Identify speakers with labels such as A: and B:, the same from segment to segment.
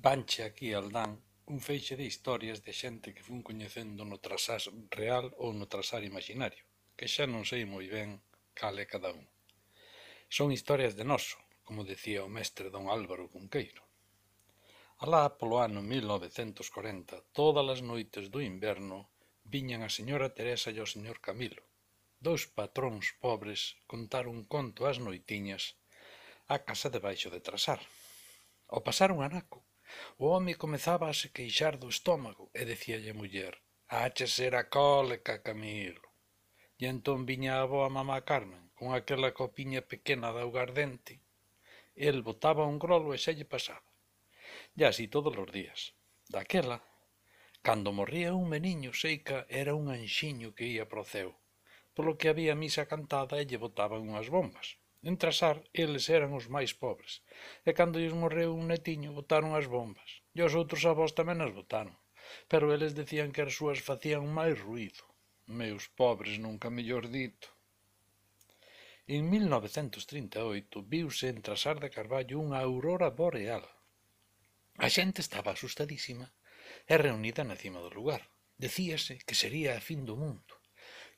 A: Vanche aquí Aldán un feixe de historias de xente que fun coñecendo no trasás real ou no trasar imaginario, que xa non sei moi ben cal é cada un. Son historias de noso, como decía o mestre don Álvaro Cunqueiro. Alá polo ano 1940, todas as noites do inverno, viñan a señora Teresa e o señor Camilo, dous patróns pobres, contar un conto ás noitiñas á casa debaixo de Trasar. Ao pasar un anaco, o home comezaba a se queixar do estómago e dicíalle a muller: «Hache ser a cólica, Camilo». E entón viña a avoa mamá Carmen, con aquela copiña pequena de augardente. El botaba un grolo e xa lle pasaba. E así todos os días. Daquela, cando morría un meniño, seica era un anxiño que ía pro ceo, polo que había misa cantada e lle botaban unhas bombas. En Trasar, eles eran os máis pobres, e cando lles morreu un netiño, botaron as bombas, e os outros avós tamén as botaron, pero eles decían que as súas facían máis ruído. Meus pobres, nunca mellor dito. En 1938 viuse en Trasar de Carballo unha aurora boreal. A xente estaba asustadísima e reunida na cima do lugar. Decíase que sería a fin do mundo,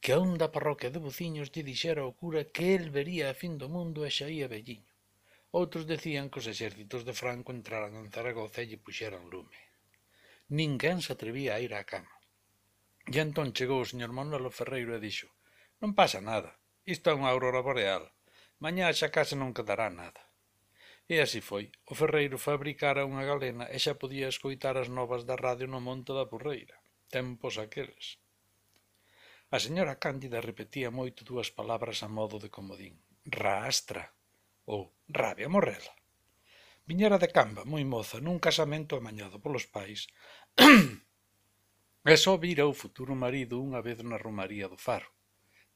A: que a un da parroquia de Bociños lle dixera ao cura que el vería a fin do mundo e xa ía velliño. Outros decían que os exércitos de Franco entraran en Zaragoza e lle puxeran lume. Ninguén se atrevía a ir á cama. E entón chegou o señor Manuelo Ferreiro e dixo: «Non pasa nada, isto é unha aurora boreal, mañá xa case non quedará nada». E así foi, o ferreiro fabricara unha galena e xa podía escoitar as novas da radio no monte da Porreira. Tempos aqueles. A señora Cándida repetía moito dúas palabras a modo de comodín: «Raastra» ou «rabia morrela». Viñera de Camba, moi moza, nun casamento amañado polos pais, e só vira o futuro marido unha vez na romaría do Faro.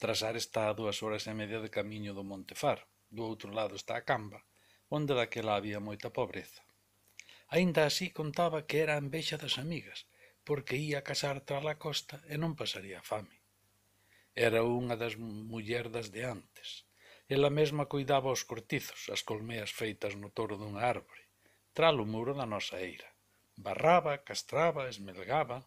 A: Trasar está a 2 horas e media de camiño do Monte Faro. Do outro lado está a Camba, onde daquela había moita pobreza. Aínda así contaba que era a envexa das amigas, porque ía casar tras a costa e non pasaría fame. Era unha das mullerdas de antes. Ela mesma coidaba os cortizos, as colmeas feitas no toro dunha árbore, tras o muro da nosa eira. Barraba, castraba, esmelgaba.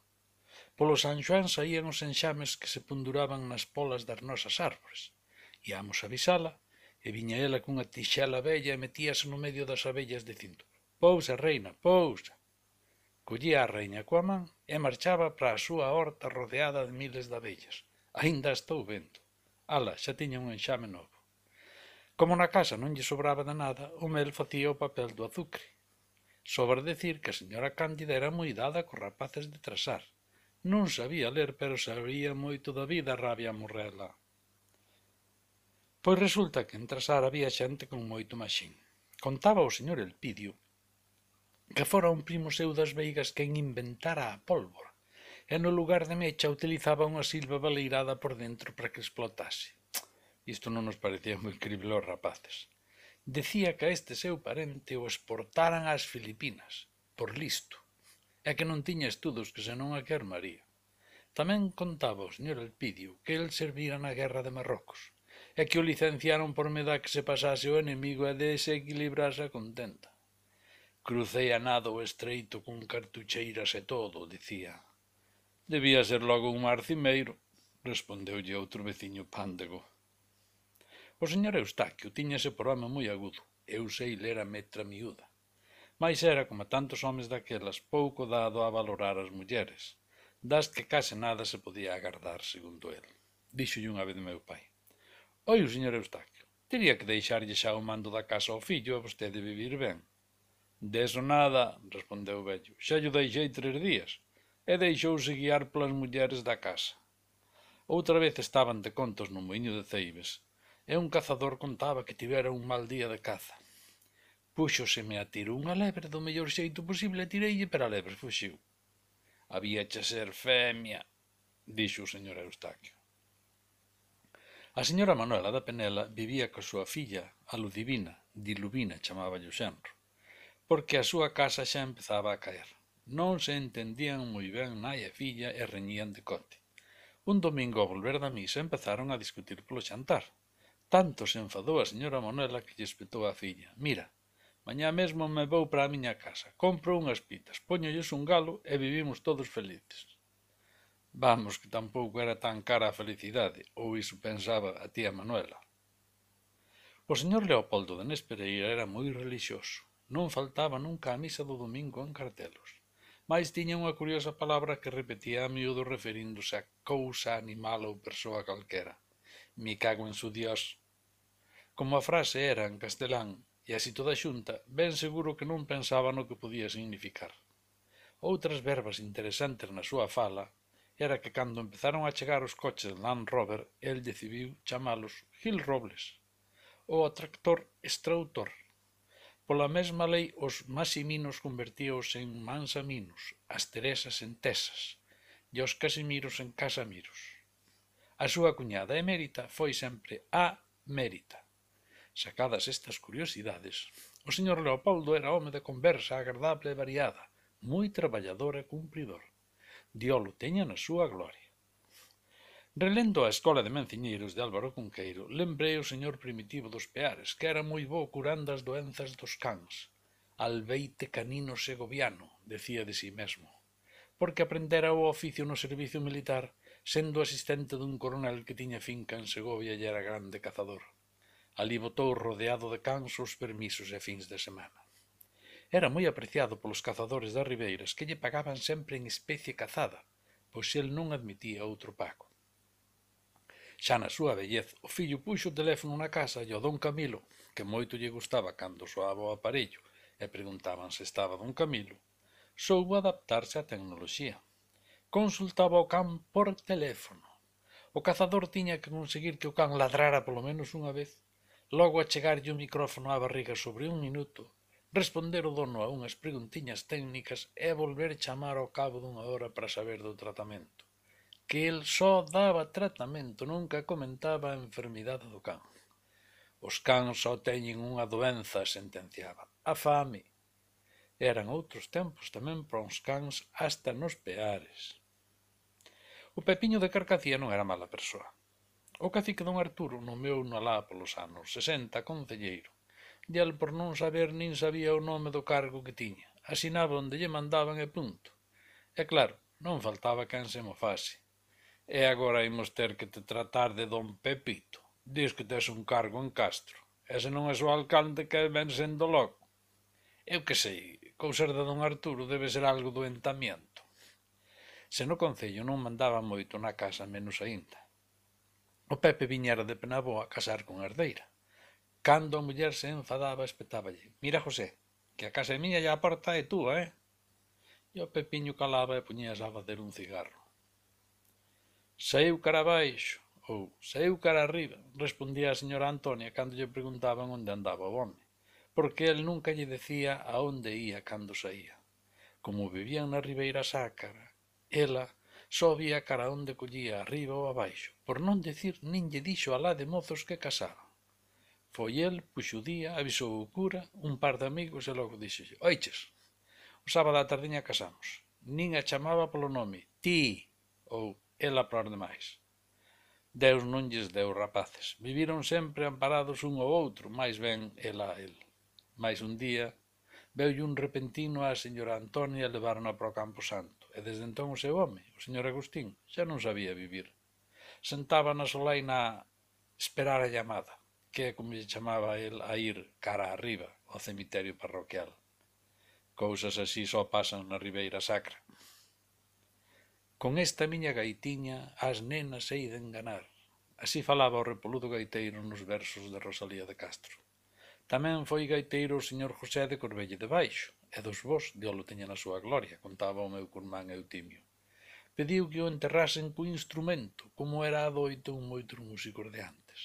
A: Polo San Xoán saían os enxames que se penduraban nas polas das nosas árbores. Iamos a avisala, e viña ela cunha tixela vella e metíase no medio das abellas dicindo: «Pousa, reina, pousa». Collía a reina coa man e marchaba para a súa horta rodeada de miles de abellas. Aínda estou vendo. Ala, xa tiña un enxame novo. Como na casa non lle sobraba de nada, o mel facía o papel do azucre. Sobra decir que a señora Cándida era moi dada cos rapaces de Trasar. Non sabía ler, pero sabía moito da vida, rabia morrela. Pois resulta que en Trasar había xente con moito maxín. Contaba o señor Elpidio que fora un primo seu das Veigas quen inventara a pólvora, e no lugar de mecha utilizaba unha silva baleirada por dentro para que explotase. Isto non nos parecía moi crible aos rapaces. Decía que a este seu parente o exportaran ás Filipinas, por listo, e que non tiña estudos que senón a que armaría. Tamén contaba o señor Elpidio que el servira na guerra de Marrocos, e que o licenciaron por meda que se pasase o enemigo e desequilibrase a contenta. Crucei a nado o estreito con cartucheiras e todo, dicía. Debía ser logo un marcimeiro, respondeulle outro veciño pándego. O señor Eustaquio tiñase por home moi agudo, eu sei ler a metra miúda, mais era, como tantos homes daquelas, pouco dado a valorar as mulleres, das que case nada se podía agardar, segundo el. Díxolle unha vez meu pai: «Oi, o señor Eustaquio, tería que deixarlle xa o mando da casa ao fillo e vostede vivir ben». «Deso nada», respondeu o vello, «xa lle deixei 3 días», e deixouse guiar polas mulleres da casa. Outra vez estaban de contos no muiño de Ceibes, e un cazador contaba que tivera un mal día de caza. Púxoseme a tiro unha lebre do mellor xeito posible e tireille, pero a lebre fuxiu. «Habíache ser femia», dixo o señor Eustaquio. A señora Manuela da Penela vivía coa súa filla, a Ludivina, Diluvina chamáballe o xenro, porque a súa casa xa empezaba a caer. Non se entendían moi ben nai e filla e reñían de cote. Un domingo ao volver da misa empezaron a discutir polo xantar. Tanto se enfadou a señora Manuela que lle espetou a filla: «Mira, Mañá mesmo me vou para a miña casa, compro unhas pitas, póñolles un galo e vivimos todos felices. Vamos, que tampouco era tan cara a felicidade, ou iso pensaba a tía Manuela. O señor Leopoldo de Nés Pereira era moi relixioso. Non faltaba nunca a misa do domingo en cartelos. Mais tiña unha curiosa palabra que repetía a miúdo referíndose a cousa, animal ou persoa calquera. Me cago en su Dios. Como a frase era en castelán e así toda xunta, ben seguro que non pensaba no que podía significar. Outras verbas interesantes na súa fala era que cando empezaron a chegar os coches Land Rover, el decidiu chamalos Gil Robles, ou o tractor extrautor. Pola mesma lei, os Maximinos convertíos en Mansaminos, as Teresas en Tesas, e os Casimiros en Casamiros. A súa cuñada emérita foi sempre a Mérita. Sacadas estas curiosidades, o señor Leopoldo era home de conversa agradable e variada, moi traballador e cumpridor. Diolo teña na súa gloria. Relendo a Escola de Menciñeiros de Álvaro Cunqueiro, lembrei o señor Primitivo dos Peares, que era moi bo curando as doenzas dos cans. Albeite canino segoviano, decía de si mesmo, porque aprendera o oficio no servicio militar, sendo asistente dun coronel que tiña finca en Segovia e era grande cazador. Alí botou rodeado de cans os permisos e fins de semana. Era moi apreciado polos cazadores das ribeiras, que lle pagaban sempre en especie cazada, pois el non admitía outro pago. Xa na súa vellez, o fillo puxo o teléfono na casa e o don Camilo, que moito lle gustaba cando soaba o aparello e preguntaban se estaba don Camilo, soubo adaptarse á tecnoloxía. Consultaba o can por teléfono. O cazador tiña que conseguir que o can ladrara polo menos unha vez, logo achegarlle o micrófono á barriga sobre un minuto, responder o dono a unhas preguntiñas técnicas e volver chamar ao cabo dunha hora para saber do tratamento. Que el só daba tratamento, nunca comentaba a enfermidade do can. Os cans só teñen unha doenza, sentenciaba, a fame. Eran outros tempos tamén para uns cans hasta nos Peares. O Pepiño de Carcacía non era mala persoa. O cacique don Arturo nomeouno alá polos anos 60 concelleiro, e el por non saber nin sabía o nome do cargo que tiña, asinaba onde lle mandaban e punto. E claro, non faltaba quen se mofase. E agora imos ter que te tratar de don Pepito. Dis que tes un cargo en Castro. E se non é o alcalde que ven sendo logo. Eu que sei, cousas de don Arturo debe ser algo do entamiento. Se no concello non mandaba moito na casa, menos aínda. O Pepe viñera de Penabó a casar con herdeira. Cando a muller se enfadaba, espetáballe: mira, José, que a casa é miña e a porta é túa, E o Pepiño calaba e puñíase a facer un cigarro. Saíu cara abaixo, ou saíu cara arriba, respondía a señora Antonia cando lle preguntaban onde andaba o home, porque el nunca lle decía a onde ía cando saía. Como vivían na Ribeira Sacra, ela só vía cara onde collía arriba ou abaixo, por non decir nin lle dixo alá de mozos que casaban. Foi el, puxo o día, avisou o cura, un par de amigos e logo dixolle: oiches, o sábado á tardiña casamos. Nin a chamaba polo nome, ti, ou ela por demais. Deus non lles deu rapaces. Viviron sempre amparados un ao outro, máis ben ela a el. Mais un día veulle un repentino á señora Antonia e levaron para o Campo Santo, e desde entón o seu home, o señor Agustín, xa non sabía vivir. Sentaba na solaina a esperar a llamada, que é como lle chamaba el a ir cara arriba ao cemiterio parroquial. Cousas así só pasan na Ribeira Sacra. Con esta miña gaitiña as nenas hei de enganar. Así falaba o repoludo gaiteiro nos versos de Rosalía de Castro. Tamén foi gaiteiro o señor José de Corbelle de Baixo, e dos vós, Dios lo teña na súa gloria, contaba o meu curmán Eutimio. Pediu que o enterrasen co instrumento, como era adoito en moitos músicos de antes.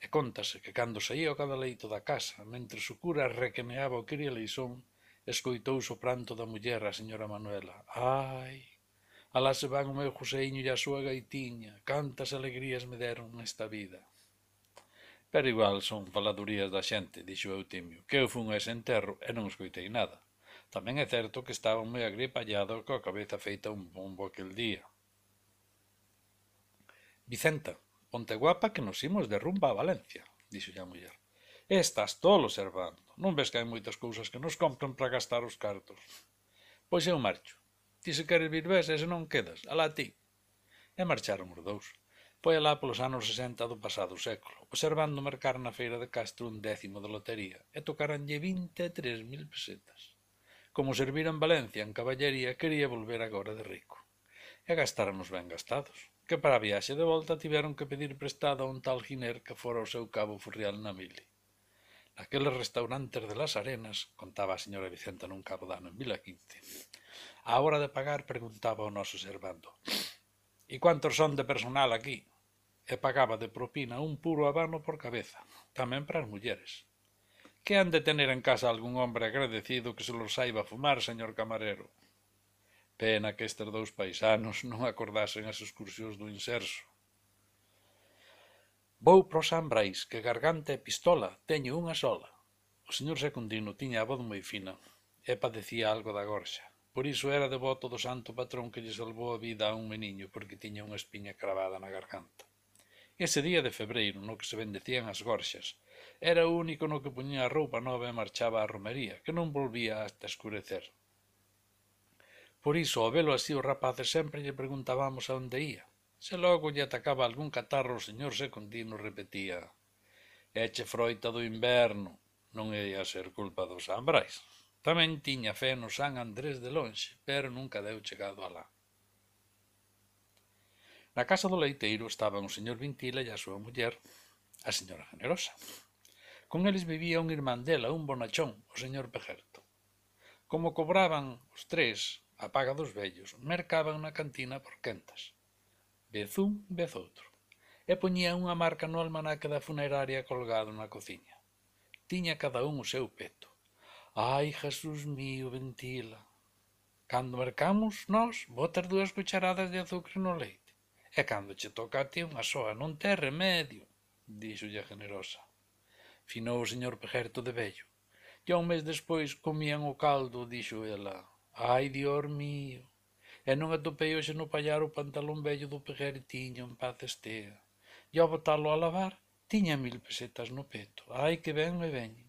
A: E contase que cando saía o cadaleito da casa, mentre o cura requemeaba o Kirieleisón, escoitouse o pranto da muller, a señora Manuela. Ai, alá se van o meu Joseiño e a súa gaitiña, cantas alegrías me deron nesta vida. Pero igual son faladurías da xente, dixo Eutimio, que eu fun a ese enterro e non escoitei nada. Tamén é certo que estaban moi agripallados coa cabeza feita un bombo aquel día. Vicenta, ponte guapa que nos imos de rumba a Valencia, dixo a muller. Estás tolo, Servando, Non ves que hai moitas cousas que nos compran para gastar os cartos. Pois eu marcho. Ti se queres vir ves e se non quedas, alá ti. E marcharon os dous. Foi alá polos anos 60 do pasado século, observando mercar na feira de Castro un 10º de lotería, e tocaranlle 23.000 pesetas. Como servira en Valencia en caballería, quería volver agora de rico. E gastaronos ben gastados, que para a viaxe de volta tiveron que pedir prestado a un tal Giner que fora o seu cabo furrial na mili. Naqueles restaurantes de las Arenas, contaba a señora Vicenta nun cabo dano en Vila Quince, á hora de pagar preguntaba ao noso servando: «E cuántos son de personal aquí?» E pagaba de propina un puro habano por cabeza, tamén para as mulleres. Que han de tener en casa algún hombre agradecido que se los saiba fumar, señor camarero? Pena que estes dous paisanos non acordasen as excursións do Inserso. Vou pro San Brais, que garganta e pistola teño unha sola. O señor Secundino tiña a voz moi fina e padecía algo da gorxa. Por iso era devoto do santo patrón que lle salvou a vida a un meniño porque tiña unha espiña cravada na garganta. Ese día de febreiro, no que se bendecían as gorxas, era o único no que puñía a roupa nova e marchaba á romería, que non volvía hasta escurecer. Por iso, ao velo así os rapaces sempre lle preguntábamos a onde ía. Se logo lle atacaba algún catarro, o señor Secundino repetía: «Eche froita do inverno, non ia ser culpa do San Brais». Tamén tiña fe no San Andrés de lonxe, pero nunca deu chegado alá. Na casa do leiteiro estaban o señor Vintila e a súa muller, a señora Generosa. Con eles vivía un irmán dela, un bonachón, o señor Pejerto. Como cobraban os tres a paga dos vellos, mercaban na cantina por quentas. Vez un, vez outro. E poñían unha marca no almanaque da funeraria colgado na cociña. Tiña cada un o seu peto. Ai, Jesús mío, Ventila. Cando mercamos, nós, botas 2 cucharadas de azúcar no leite. E cando che toca a ti unha soa, non te remedio, díxolle a Generosa. Finou o señor Pejerto de vello. E un mes despois comían o caldo, dixo ela. Ai, Dios mío. E non atopei hoxe no pallar o pantalón vello do Pejertiño en paz estea. E ao botalo a lavar, tiña 1000 pesetas no peto. Ai, que ben me veñen.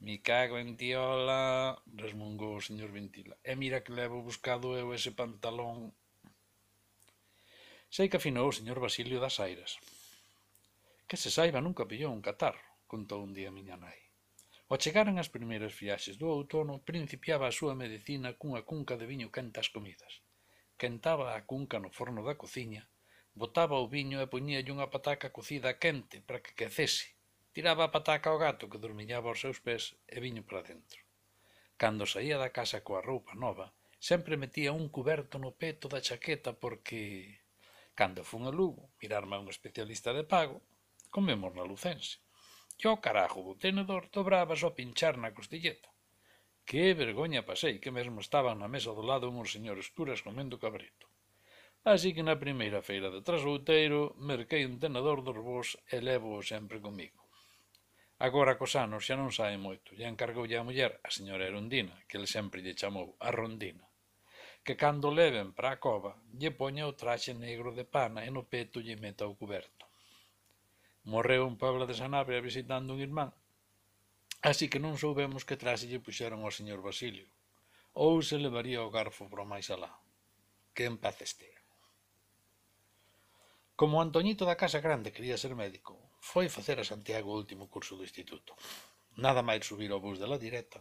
A: «Me cago en tiola», resmungou o señor Vintila. «E mira que levo buscado eu ese pantalón». Sei que afinou o señor Basilio das Airas. Que se saiba nunca pillou un catarro, contou un día a miña nai. Ao chegaren as primeiras viaxes do outono, principiaba a súa medicina cunha cunca de viño quente ás comidas. Quentaba a cunca no forno da cociña, botaba o viño e poñíalle unha pataca cocida quente para que quecese. Tiraba a pataca ao gato que dormiñaba aos seus pés e viño para dentro. Cando saía da casa coa roupa nova, sempre metía un cuberto no peto da chaqueta porque, cando fun a Lugo mirarme a un especialista de pago, comemos na Lucense. E ao carajo do tenedor dobraba só pinchar na costilleta. Que vergoña pasei, que mesmo estaban na mesa do lado uns señores curas comendo cabrito. Así que na primeira feira de Trasouteiro merquei un tenedor dos bos e levo-o sempre comigo. Agora cos anos xa non sae moito, e encargoulle a muller, a señora Erundina, que ele sempre lle chamou a Rondina, que cando leven para a cova lle poña o traxe negro de pana e no peto lle meta o cuberto. Morreu en Puebla de Sanabria visitando un irmán, así que non soubemos que traxe lle puxeron ao señor Basilio, ou se levaría o garfo pro máis alá. Que en paz estea. Como o Antoñito da Casa Grande quería ser médico, foi facer a Santiago o último curso do instituto. Nada máis subir ao bus de la direta,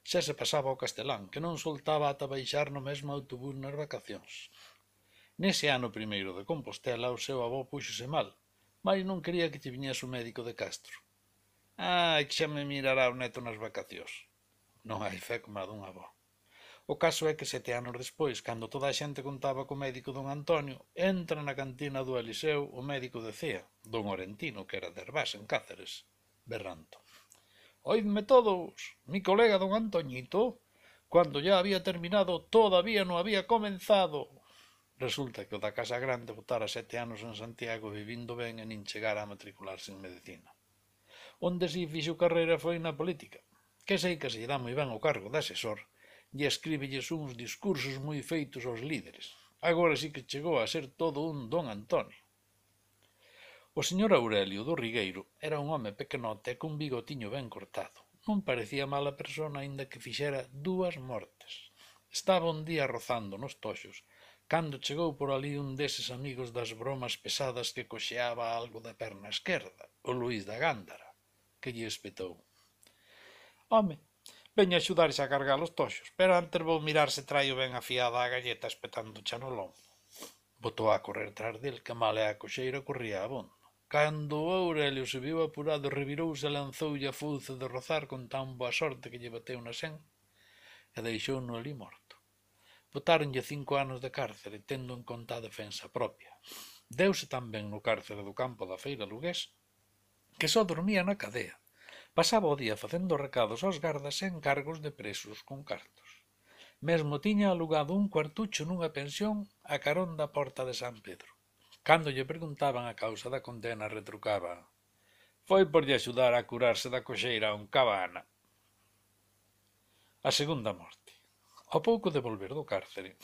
A: xa se pasaba ao castelán, que non soltaba ata baixar no mesmo autobús nas vacacións. Nese ano primeiro de Compostela, o seu avó púxose mal, mais non quería que lle viñese o médico de Castro. Ai, que xa me mirará o neto nas vacacións. Non hai fe como a dun avó. O caso é que 7 anos despois, cando toda a xente contaba co médico don Antonio, entra na cantina do Eliseu o médico de Cea, don Orentino, que era de Herbás, en Cáceres, berrando. «Oídme todos, mi colega don Antoñito, cuando ya había terminado, todavía no había comenzado». Resulta que o da Casa Grande botara 7 anos en Santiago vivindo ben e nin chegara a matricularse en medicina. Onde si fixo carreira foi na política, que sei que se lle dá moi ben o cargo de asesor, e escríbelles uns discursos moi feitos aos líderes. Agora sí que chegou a ser todo un don Antonio. O señor Aurelio do Rigueiro era un home pequenote e cun bigotiño ben cortado, non parecía mala persona aínda que fixera 2 mortes. Estaba un día rozando nos toxos, cando chegou por ali un deses amigos das bromas pesadas que coxeaba algo da perna esquerda, o Luís da Gándara, que lle espetou: «Home, veño a axudarxe a cargar os toxos, pero antes vou mirar se traio ben afiada a galleta espetándocha no lombo». Botou a correr tras del, que mal e a coxeira corría abondo. Cando o Aurelio se viu apurado, revirouse e lanzoulle a fouce de rozar con tan boa sorte que lle bateu na sen e deixouno ali morto. Botáronlle 5 anos de cárcere, tendo en conta a defensa propia. Deuse tamén no cárcere do campo da feira lugués, que só dormía na cadea. Pasaba o día facendo recados aos gardas e encargos de presos con cartos. Mesmo tiña alugado un cuartucho nunha pensión a carón da porta de San Pedro. Cando lle preguntaban a causa da condena, retrucaba: «Foi por lle axudar a curarse da coxeira a un cabana». A segunda morte. Ao pouco de volver do cárcere,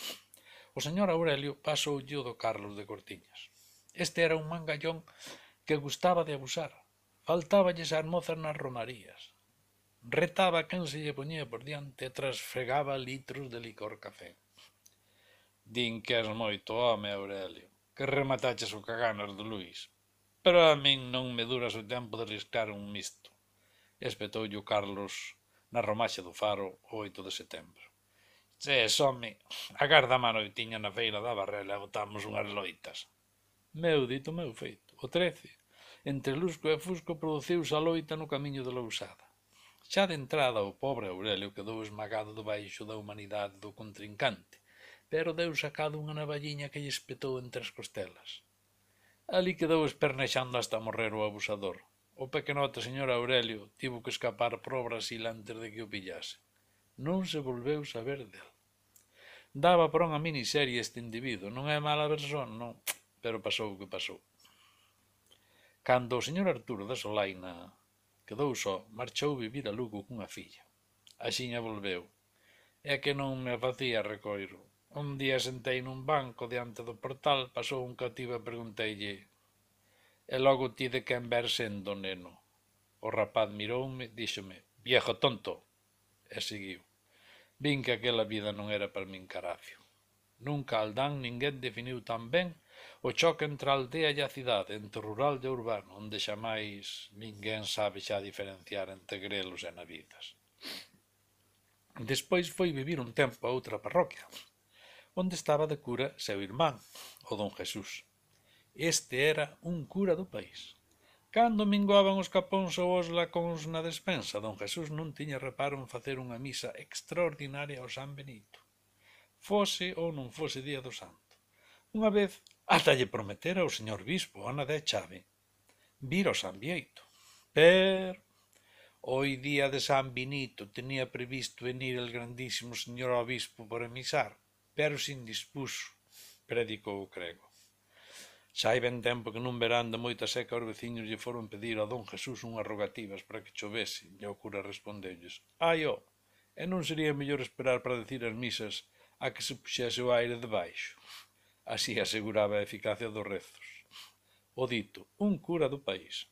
A: o señor Aurelio pasoulle o do Carlos de Cortiñas. Este era un mangallón que gustaba de abusar. Faltáballes as mozas nas romarías. Retaba quen se lle poñía por diante e trasfregaba litros de licor café. «Din que és moito home, Aurelio, que remataches o caganas do Luís, pero a min non me duras o tempo de riscar un misto», espetoulle o Carlos na romaxe do Faro o 8 de setembro. «Ches, home, agarda a manoitiña na feira da Barrela e botamos unhas loitas». Meu dito, meu feito. O 13, entre Lusco e Fusco, produciuse a loita no camiño de Lousada. Xa de entrada o pobre Aurelio quedou esmagado debaixo da humanidade do contrincante, pero deu sacado unha navalliña que lle espetou entre as costelas. Ali quedou espernexando hasta morrer o abusador. O pequenote señor Aurelio tivo que escapar pro Brasil antes de que o pillase. Non se volveu saber del. Daba por unha miniserie este individuo, non é mala persona, non, pero pasou o que pasou. Cando o señor Arturo da Solaina quedou só, marchou vivir a Lugo cunha filla. Axiña volveu. É que non me facía recoiro. Un día sentei nun banco diante do portal, pasou un cativo e pregunteille: «E logo ti de quen ver sendo, neno?» O rapaz miroume, díxome: «Viejo tonto», e seguiu. Vin que aquela vida non era para min carafio. Nunca aldán ninguén definiu tan ben o choque entre a aldea e a cidade, entre o rural e o urbano, onde xamais ninguén sabe xa diferenciar entre grelos e navidas. Despois foi vivir un tempo a outra parroquia, onde estaba de cura seu irmán, o don Jesús. Este era un cura do país. Cando minguaban os capóns ou os lacóns na despensa, don Jesús non tiña reparo en facer unha misa extraordinaria ao San Benito, fose ou non fose día do santo. Unha vez ata lle prometera ao señor bispo, Ana de Chave, vir ao San Bieito. Pero hoi día de San Benito tenía previsto venir el grandísimo señor obispo por emisar, pero se indispuso, predicou o crego. Xa hai ben tempo que nun verán de moita seca os veciños lle foron pedir a don Jesús unhas rogativas para que chovese, e o cura respondeulles: «Ai, ó, e non sería mellor esperar para decir as misas a que se puxese o aire debaixo?» Así aseguraba a eficacia dos rezos. O dito, un cura do país.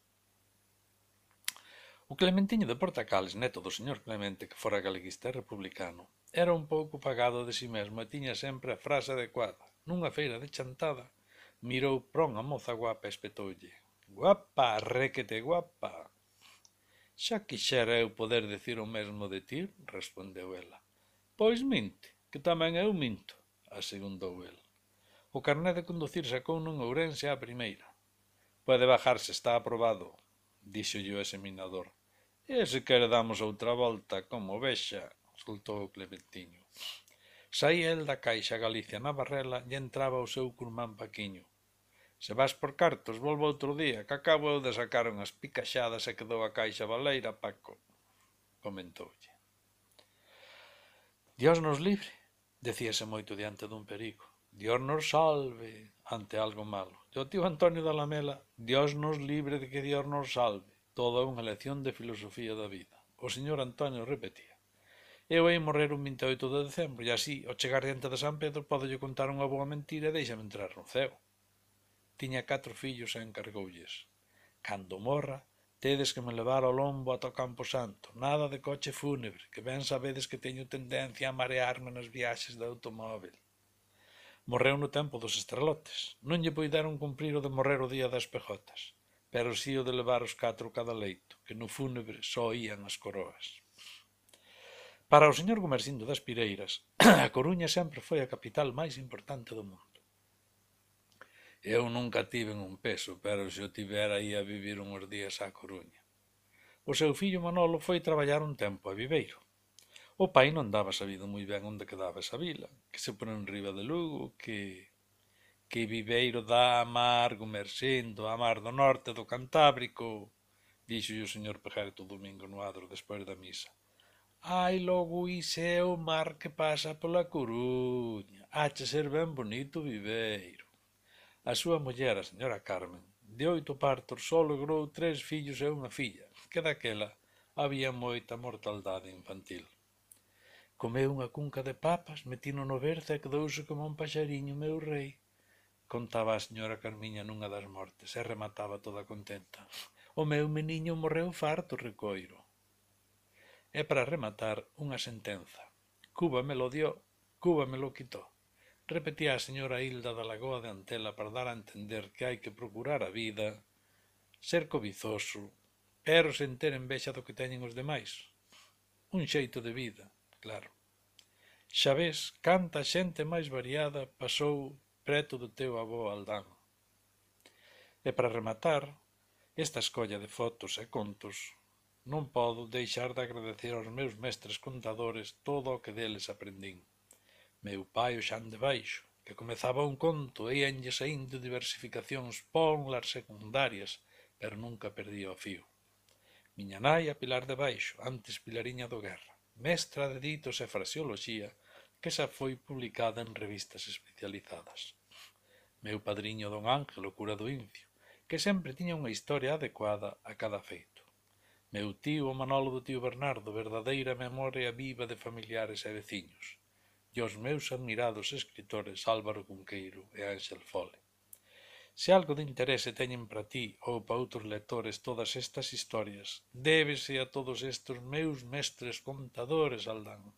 A: O Clementiño de Portacales, neto do señor Clemente, que fora galeguista e republicano, era un pouco pagado de si mesmo e tiña sempre a frase adecuada. Nunha feira de chantada, mirou pron a moza guapa e espetoulle: «Guapa, requete guapa!» «Xa quixera eu poder dicir o mesmo de ti», respondeu ela. «Pois minte, que tamén eu minto», asegundou el. O carné de conducir sacouno en Ourense á primeira. «Pode bajarse, está aprobado», díxolle o examinador. «E se quere damos outra volta, como vexa», soltou o Clementiño. Saía el da Caixa Galicia na Barrela e entraba o seu curmán Paquiño. «Se vas por cartos, volvo outro día, que acabo eu de sacar unhas picaxadas e quedou a caixa baleira, Paco», comentoulle. «Dios nos libre», decíase moito diante dun perigo. «Dios nos salve», ante algo malo. E o tío Antonio da Lamela: «Dios nos libre de que Dios nos salve». Toda unha lección de filosofía da vida. O señor Antonio repetía: «Eu hei morrer un 28 de decembro e así, ao chegar diante de San Pedro, podolle contar unha boa mentira e deixame entrar no ceo». Tiña 4 fillos e encargoulles: «Cando morra, Tedes que me levar ao lombo ata o Campo Santo, nada de coche fúnebre, que ben sabedes que teño tendencia a marearme nas viaxes de automóvil. Morreu no tempo dos estralotes. Non lle puideron cumprir o de morrer o día das pejotas, pero si o de levar os 4 cada leito, que no fúnebre só ían as coroas. Para o señor Gumersindo das Pireiras, a Coruña sempre foi a capital máis importante do mundo. Eu nunca tiven un peso, pero se o tivera ia vivir uns días á Coruña. O seu fillo Manolo foi traballar un tempo a Viveiro. O pai non daba sabido moi ben onde quedaba esa vila, que se pon en riba de Lugo, que Viveiro dá a mar, Gumersindo, a mar do norte do Cantábrico, dixo o señor Pejerto o domingo no adro despois da misa. Ai, logo ise é o mar que pasa pola Coruña, hache ser ben bonito Viveiro. A súa muller, a señora Carmen, de 8 partos só logrou 3 fillos e unha filla, que daquela había moita mortaldade infantil. Comeu unha cunca de papas, metino no berzo e quedouse como un paxariño, meu rei, contaba a señora Carmiña nunha das mortes, e remataba toda contenta. O meu meniño morreu farto, recoiro. E para rematar, unha sentenza. Cuba me lo dio, Cuba me lo quitó. Repetía a señora Hilda da Lagoa de Antela para dar a entender que hai que procurar a vida, ser cobizoso, pero sen ter envexa do que teñen os demais. Un xeito de vida, claro. Xa ves canta xente máis variada pasou preto do teu avó Aldán. E para rematar esta escolla de fotos e contos, non podo deixar de agradecer aos meus mestres contadores todo o que deles aprendín. Meu pai o Xan de Baixo, que comezaba un conto e íanlle saindo diversificacións pónlas secundarias, pero nunca perdía o fío. Miña nai a Pilar de Baixo, antes Pilariña do Guerra, mestra de ditos e fraseoloxía, que xa foi publicada en revistas especializadas. Meu padriño don Ángel, o cura do Incio, que sempre tiña unha historia adecuada a cada feito. Meu tío o Manolo do tío Bernardo, verdadeira memoria viva de familiares e veciños. E os meus admirados escritores Álvaro Cunqueiro e Ángel Fole. Se algo de interese teñen para ti ou para outros lectores todas estas historias, débese a todos estes meus mestres contadores, Aldán.